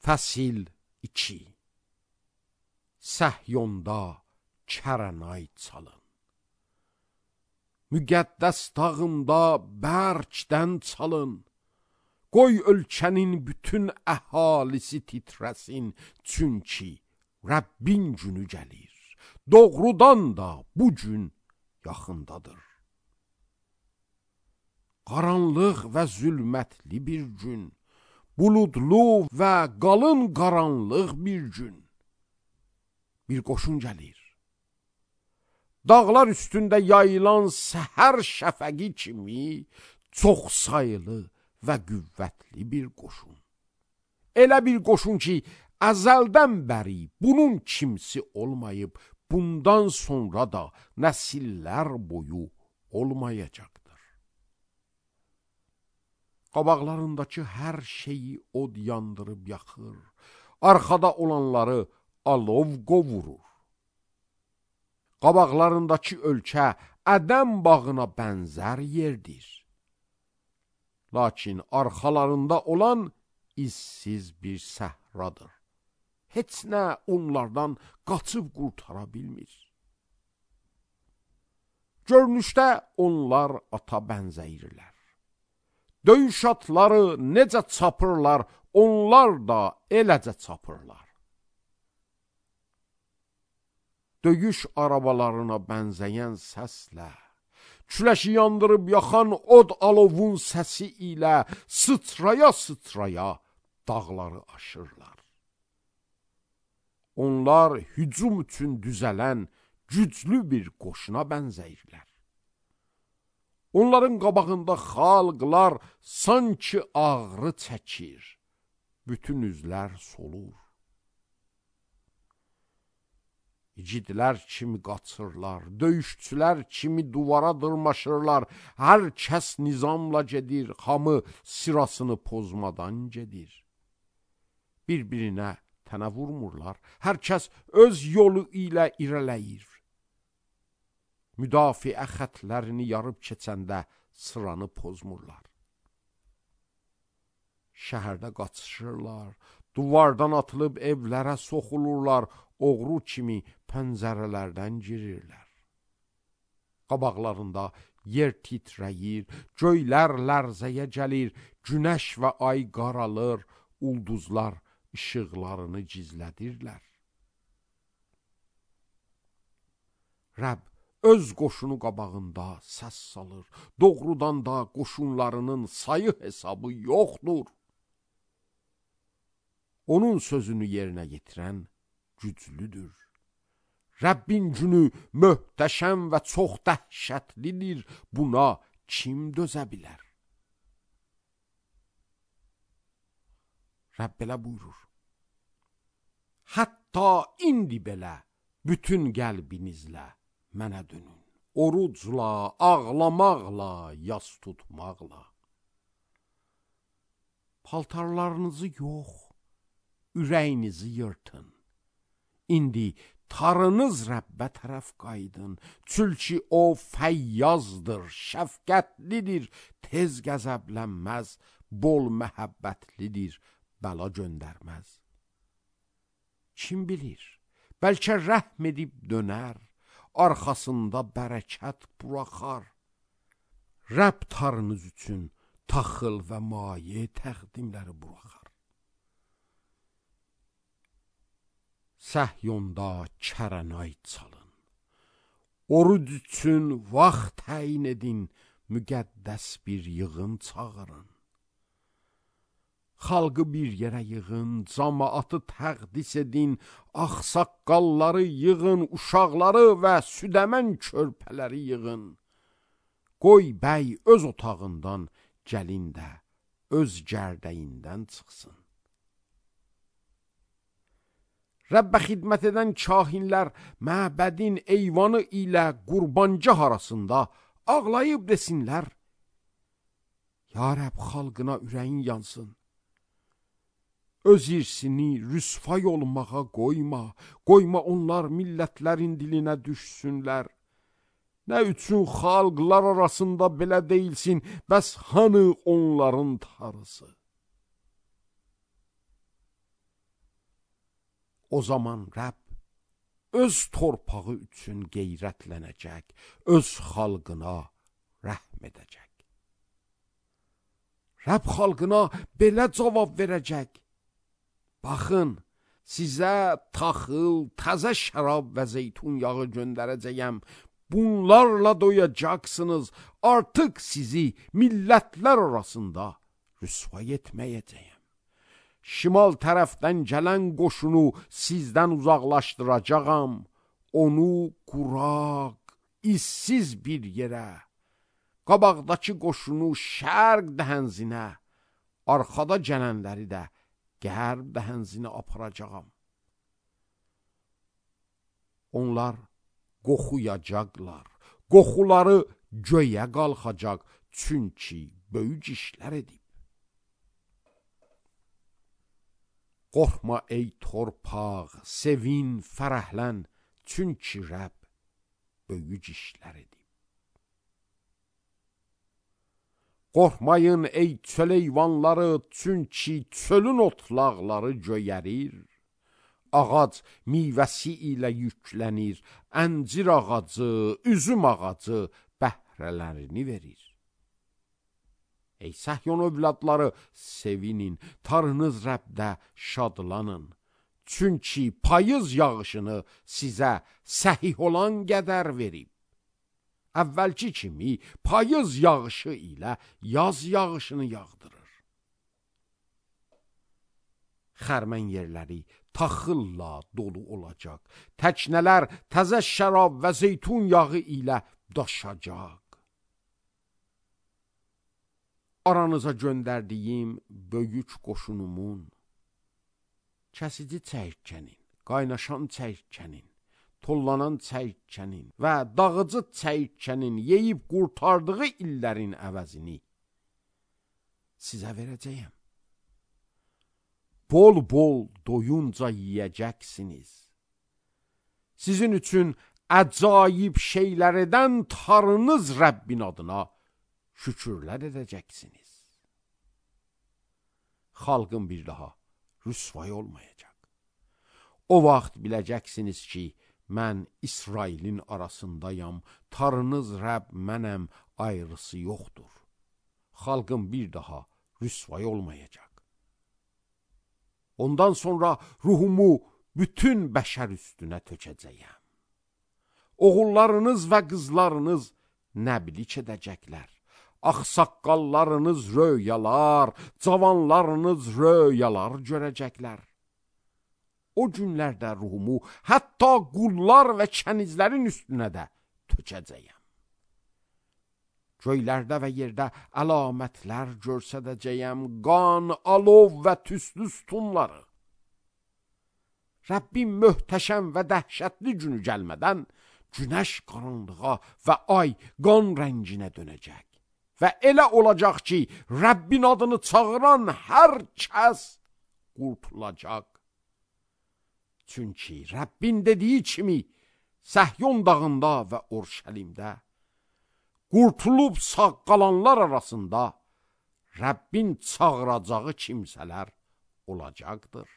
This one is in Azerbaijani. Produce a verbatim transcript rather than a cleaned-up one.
Fəsil iki. Səhyonda kərənay çalın. Müqəddəs dağımda bərkdən çalın. Qoy ölkənin bütün əhalisi titrəsin, çünki Rəbbin günü gəlir. Doğrudan da bu gün yaxındadır. Qaranlıq və zülmətli bir gün, buludlu və qalın qaranlıq bir gün. Bir qoşun gəlir. Dağlar üstündə yayılan səhər şəfəqi kimi çox sayılı və qüvvətli bir qoşun. Elə bir qoşun ki, əzəldən bəri bunun kimsi olmayıb, bundan sonra da nəsillər boyu olmayacaqdır. Qabaqlarındakı hər şeyi od yandırıb yaxır, arxada olanları alov qovurur. Qabaqlarındakı ölkə Ədəm bağına bənzər yerdir. Lakin arxalarında olan izsiz bir səhradır. Heç nə onlardan qaçıb qurtara bilmir. Görünüşdə onlar ata bənzəyirlər. Döyüş atları necə çapırlar, onlar da eləcə çapırlar. Döyüş arabalarına bənzəyən səslə, küləşi yandırıb yaxan od alovun səsi ilə sıçraya-sıçraya dağları aşırlar. Onlar hücum üçün düzələn güclü bir qoşuna bənzəyirlər. Onların qabağında xalqlar sanki ağrı çəkir, bütün üzlər solur. İgidlər kimi qaçırlar, döyüşçülər kimi duvara dırmaşırlar, hər kəs nizamla gedir, hamı sırasını pozmadan gedir. Bir-birinə tənə vurmurlar, hər kəs öz yolu ilə irələyir. Müdafiə xətlərini yarıb keçəndə sıranı pozmurlar. Şəhərdə qaçışırlar, duvardan atılıb evlərə soxulurlar, oğru kimi pəncərələrdən girirlər. Qabaqlarında yer titrəyir, göylər lərzəyə gəlir, günəş və ay qaralır, ulduzlar işıqlarını gizlədirlər. Rəbb öz qoşunu qabağında səs salır, doğrudan da qoşunlarının sayı hesabı yoxdur. Onun sözünü yerinə yetirən güclüdür. Rəbbin günü möhtəşəm və çox dəhşətlidir, buna kim dözə bilər? Rəbb belə buyurur. Hətta indi belə bütün qəlbinizlə mənə dönün. Orucla, ağlamaqla, yas tutmaqla. Paltarlarınızı yox, ürəyinizi yırtın. İndi tarınız Rəbbə tərəf qaydın, çünki o fəyyazdır, şəfqətlidir, tez qəzəblənməz, bol məhəbbətlidir, bəla göndərməz. Kim bilir, bəlkə rəhm edib dönər, arxasında bərəkət buraxar. Rəbb tarınız üçün taxıl və maye təqdimləri buraxar. Səhyonda kərənay çalın. Oruc üçün vaxt təyin edin, müqəddəs bir yığın çağırın. Xalqı bir yerə yığın, cəmaatı təqdis edin, ağsaqqalları yığın, uşaqları və südəmən körpələri yığın. Qoy bəy öz otağından, gəlin də öz gərdəyindən çıxsın. Rəbbə xidmət edən kahinlər məbədin eyvanı ilə qurbancaq arasında ağlayıb desinlər, Ya Rəbb, xalqına ürəyin yansın. Öz irsini rüsvay olmağa qoyma, qoyma onlar millətlərin dilinə düşsünlər. Nə üçün xalqlar arasında belə deyilsin, bəs hanı onların tarısı? O zaman Rəbb öz torpağı üçün qeyrətlənəcək, öz xalqına rəhm edəcək. Rəbb xalqına belə cavab verəcək: baxın, sizə taxıl, təzə şərab və zeytun yağı göndərəcəyəm. Bunlarla doyacaqsınız. Artıq sizi millətlər arasında rüsvay etməyəcəyəm. Şimal tərəfdən gələn qoşunu sizdən uzaqlaşdıracağam. Onu quraq, izsiz bir yerə, qabaqdakı qoşunu şərq dəhənzinə, arxada gələnləri də qərb dəhənzinə aparacağam. Onlar qoxuyacaqlar, qoxuları göyə qalxacaq, çünki böyük işlər edib. Qorxma ey torpaq, sevin, fərəhlən, çünki Rəbb böyük işlər edib. Qorxmayın ey çöl heyvanları, çünki çölün otlaqları göyərir. Ağac meyvəsi ilə yüklənir, əncir ağacı, üzüm ağacı bəhrələrini verir. Ey Səhyon övladları, sevinin, Tanrınız Rəbdə şadlanın. Çünki payız yağışını sizə səhih olan qədər verib. Əvvəlki kimi payız yağışı ilə yaz yağışını yağdırır. Xərmən yerləri taxılla dolu olacaq. Təknələr təzə şərab və zeytun yağı ilə daşacaq. Aranıza göndərdiyim böyük qoşunumun kəsici çəyirtkənin, qaynaşan çəyirtkənin, tollanan çəyirtkənin və dağıcı çəyirtkənin yeyib qurtardığı illərin əvəzini sizə verəcəyəm. Bol-bol doyunca yiyəcəksiniz. Sizin üçün əcaib şeylər edən Tanrınız Rəbbin adına şükürlər edəcəksiniz. Xalqın bir daha rüsvay olmayacaq. O vaxt biləcəksiniz ki, mən İsrailin arasındayam, Tanrınız Rəbb mənəm, ayrısı yoxdur. Xalqın bir daha rüsvay olmayacaq. Ondan sonra ruhumu bütün bəşər üstünə tökəcəyəm. Oğullarınız və qızlarınız nəbilik edəcəklər. Ağsaqqallarınız röyalar, cavanlarınız röyalar görəcəklər. O günlərdə ruhumu hətta qullar və kənizlərin üstünə də tökəcəyəm. Göylərdə və yerdə əlamətlər görsədəcəyəm, qan, alov və tüslü sütunları. Rəbbin möhtəşəm və dəhşətli günü gəlmədən günəş qaranlığa və ay qan rənginə dönəcək. Və elə olacaq ki, Rəbbin adını çağıran hər kəs qurtulacaq. Çünki Rəbbin dediyi kimi Səhyon dağında və Urşəlimdə qurtulub sağ qalanlar arasında Rəbbin çağıracağı kimsələr olacaqdır.